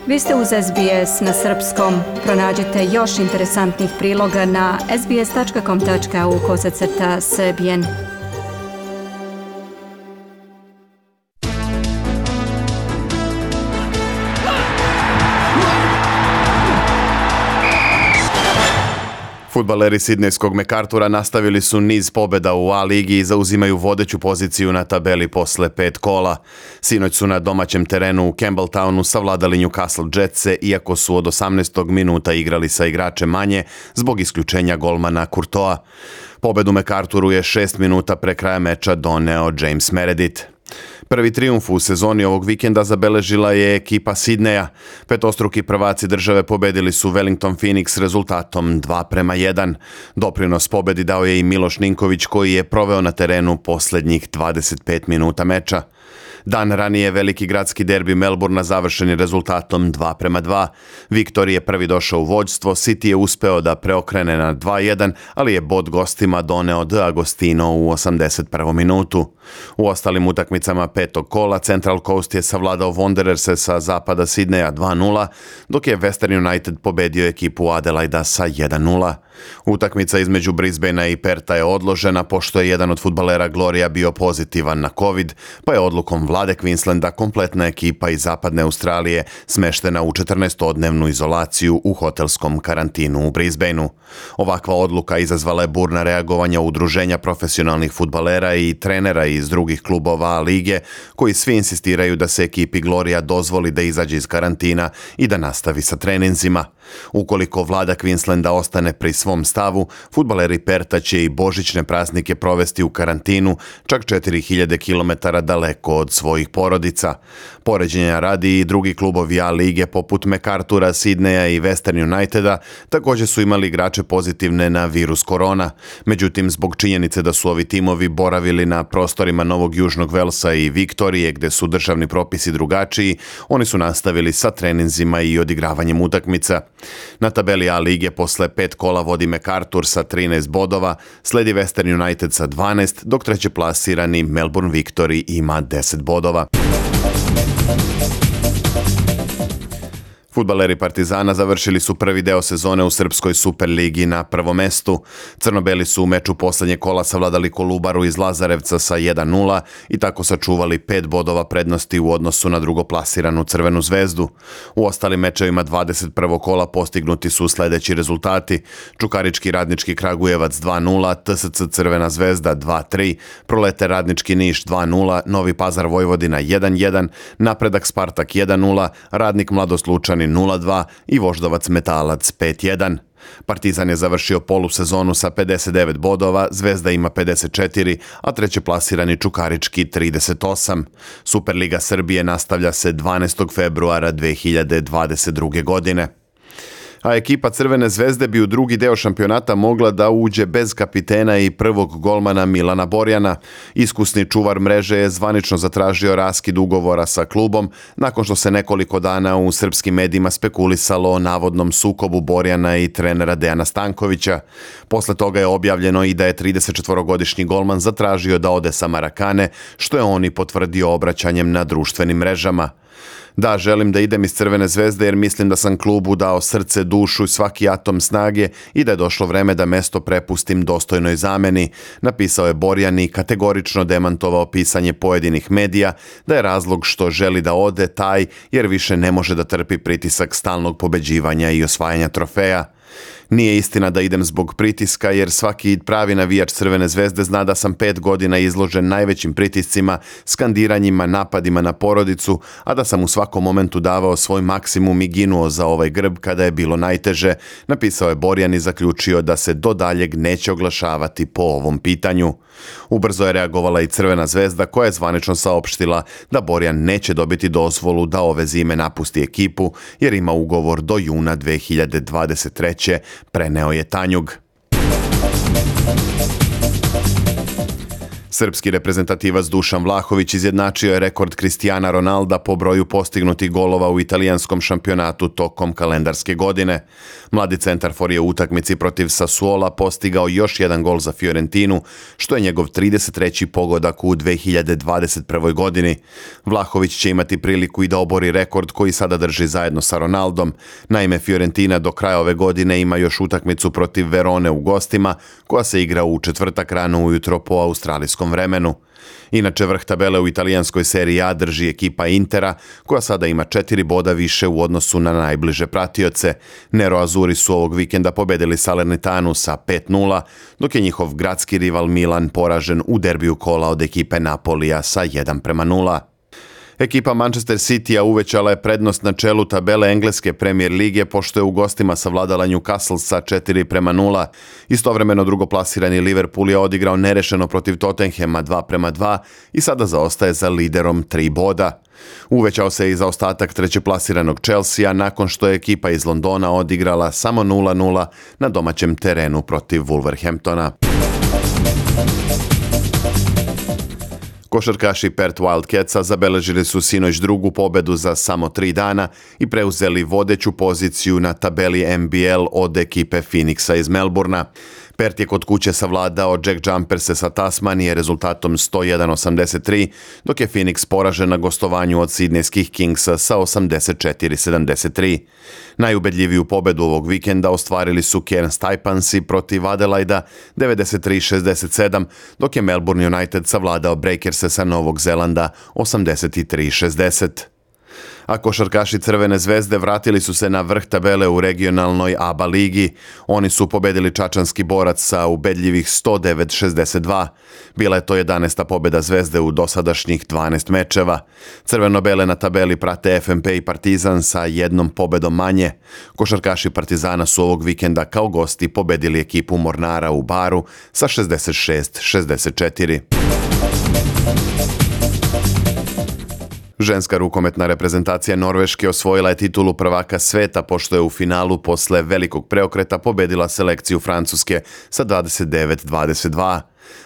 Vi ste uz SBS na srpskom. Pronađite još interesantnih priloga na sbs.com.au/srbijen. Fudbaleri sidnejskog MacArthura nastavili su niz pobjeda u A ligi i zauzimaju vodeću poziciju na tabeli posle 5 kola. Sinoć su na domaćem terenu u Campbelltownu savladali Newcastle Jetse, iako su od 18. minuta igrali sa igračem manje zbog isključenja golmana Courtois. Pobedu MacArthuru je 6 minuta pre kraja meča doneo James Meredith. Prvi trijumf u sezoni ovog vikenda zabeležila je ekipa Sidneja. Petostruki prvaci države pobedili su Wellington Phoenix rezultatom 2:1. Doprinos pobedi dao je i Miloš Ninković, koji je proveo na terenu posljednjih 25 minuta meča. Dan ranije veliki gradski derbi Melbourna završen je rezultatom 2:2. Victor je prvi došao u vođstvo, City je uspeo da preokrene na 2:1, ali je bod gostima doneo De Agostino u 81. minutu. U ostalim utakmicama petog kola Central Coast je savladao Wandererse sa zapada Sidneja 2:0, dok je Western United pobedio ekipu Adelaida sa 1:0. Utakmica između Brisbanea i Perta je odložena pošto je jedan od fudbalera Gloria bio pozitivan na COVID, pa je odlukom vlade Queenslanda kompletna ekipa iz zapadne Australije smeštena u 14-dnevnu izolaciju u hotelskom karantinu u Brisbaneu. Ovakva odluka izazvala je burna reagovanja udruženja profesionalnih fudbalera i trenera iz drugih klubova lige, koji svi insistiraju da se ekipi Gloria dozvoli da izađe iz karantina i da nastavi sa treninzima. Ukoliko vlada Queenslanda ostane pri svom stavu, fudbaleri Perta će i božićne praznike provesti u karantinu, čak 4000 km daleko od svojih porodica. Poređenja radi i drugi klubovi A lige poput MacArthura, Sidneja i Western Uniteda također su imali igrače pozitivne na virus korona. Međutim, zbog činjenice da su ovi timovi boravili na prostorima Novog Južnog Velsa i Viktorije, gde su državni propisi drugačiji, oni su nastavili sa treninzima i odigravanjem utakmica. Na tabeli A lige posle 5 kola vodi MacArthur sa 13 bodova, sledi Western United sa 12, dok treće plasirani Melbourne Victory ima 10 bodova. Fudbaleri Partizana završili su prvi deo sezone u Srpskoj Superligi na prvom mestu. Crnobeli su u meču posljednje kola savladali Kolubaru iz Lazarevca sa 1:0 i tako sačuvali 5 bodova prednosti u odnosu na drugoplasiranu Crvenu zvezdu. U ostalim mečevima 21. kola postignuti su sljedeći rezultati: Čukarički Radnički Kragujevac 2:0, TSC Crvena zvezda 2:3, Proleter Radnički Niš 2:0, Novi Pazar Vojvodina 1:1, Napredak Spartak 1:0, Radnik Mladost Lučani 0:2 i Voždovac Metalac 5:1. Partizan je završio polusezonu sa 59 bodova, Zvezda ima 54, a treće plasirani Čukarički 38. Superliga Srbije nastavlja se 12. februara 2022. godine. A ekipa Crvene zvezde bi u drugi deo šampionata mogla da uđe bez kapitena i prvog golmana Milana Borjana. Iskusni čuvar mreže je zvanično zatražio raskid ugovora sa klubom nakon što se nekoliko dana u srpskim medijima spekulisalo o navodnom sukobu Borjana i trenera Dejana Stankovića. Posle toga je objavljeno i da je 34-godišnji golman zatražio da ode sa Marakane, što je on i potvrdio obraćanjem na društvenim mrežama. Da, želim da idem iz Crvene zvezde jer mislim da sam klubu dao srce, dušu i svaki atom snage i da je došlo vreme da mesto prepustim dostojnoj zameni, napisao je Borjan i kategorično demantovao pisanje pojedinih medija da je razlog što želi da ode taj jer više ne može da trpi pritisak stalnog pobeđivanja i osvajanja trofeja. Nije istina da idem zbog pritiska jer svaki pravi navijač Crvene zvezde zna da sam 5 godina izložen najvećim pritiscima, skandiranjima, napadima na porodicu, a da sam u svakom momentu davao svoj maksimum i ginuo za ovaj grb kada je bilo najteže, napisao je Borjan i zaključio da se do daljeg neće oglašavati po ovom pitanju. Ubrzo je reagovala i Crvena zvezda koja je zvanično saopštila da Borjan neće dobiti dozvolu da ove zime napusti ekipu jer ima ugovor do juna 2023. Preneo je Tanjug. Srpski reprezentativac Dušan Vlahović izjednačio je rekord Cristiana Ronalda po broju postignutih golova u italijanskom šampionatu tokom kalendarske godine. Mladi centarfor je u utakmici protiv Sassuola postigao još jedan gol za Fiorentinu, što je njegov 33. pogodak u 2021. godini. Vlahović će imati priliku i da obori rekord koji sada drži zajedno sa Ronaldom. Naime, Fiorentina do kraja ove godine ima još utakmicu protiv Verone u gostima, koja se igra u četvrtak rano ujutro po australijskom vremenu. Inače, vrh tabele u italijanskoj seriji A drži ekipa Intera, koja sada ima 4 boda više u odnosu na najbliže pratioce. Nero-Azuri su ovog vikenda pobedili Salernitanu sa 5-0, dok je njihov gradski rival Milan poražen u derbiju kola od ekipe Napolija sa 1-0. Ekipa Manchester City-a uvećala je prednost na čelu tabele engleske Premier lige, pošto je u gostima savladala Newcastle sa 4-0. Istovremeno drugoplasirani Liverpool je odigrao nerešeno protiv Tottenhema 2-2 i sada zaostaje za liderom 3 boda. Uvećao se i zaostatak trećeplasiranog Chelsea nakon što je ekipa iz Londona odigrala samo 0-0 na domaćem terenu protiv Wolverhamptona. Košarkaši Perth Wildcatsa zabeležili su sinoć drugu pobedu za samo 3 dana i preuzeli vodeću poziciju na tabeli NBL od ekipe Phoenixa iz Melbourna. Perth je kod kuće savladao Jack Jumperse sa Tasmanije rezultatom 101-83, dok je Phoenix poražen na gostovanju od Sidnejskih Kingsa sa 84-73. Najubedljiviju pobedu ovog vikenda ostvarili su Cairns Taipansi protiv Adelaida 93-67, dok je Melbourne United savladao Breakerse sa Novog Zelanda 83-60. A košarkaši Crvene zvezde vratili su se na vrh tabele u regionalnoj ABA ligi. Oni su pobedili čačanski Borac sa ubedljivih 109-62. Bila je to 11. pobeda Zvezde u dosadašnjih 12 mečeva. Crveno-bele na tabeli prate FNP i Partizan sa jednom pobedom manje. Košarkaši Partizana su ovog vikenda kao gosti pobedili ekipu Mornara u Baru sa 66-64. Ženska rukometna reprezentacija Norveške osvojila je titulu prvaka sveta pošto je u finalu posle velikog preokreta pobedila selekciju Francuske sa 29-22.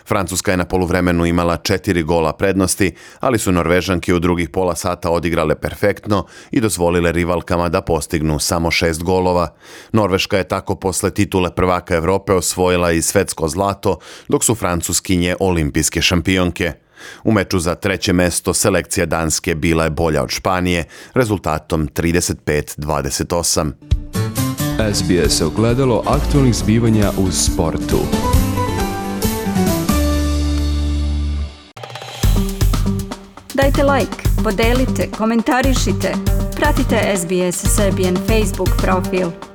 Francuska je na poluvremenu imala 4 gola prednosti, ali su Norvežanke u drugih pola sata odigrale perfektno i dozvolile rivalkama da postignu samo 6 golova. Norveška je tako posle titule prvaka Evrope osvojila i svetsko zlato, dok su Francuskinje olimpijske šampionke. U meču za 3. mesto selekcija Danske bila je bolja od Španije rezultatom 35-28. SBS ogledalo aktualnih zbivanja u sportu. Dajte like, podelite, komentarišite. Pratite SBS Serbian Facebook profil.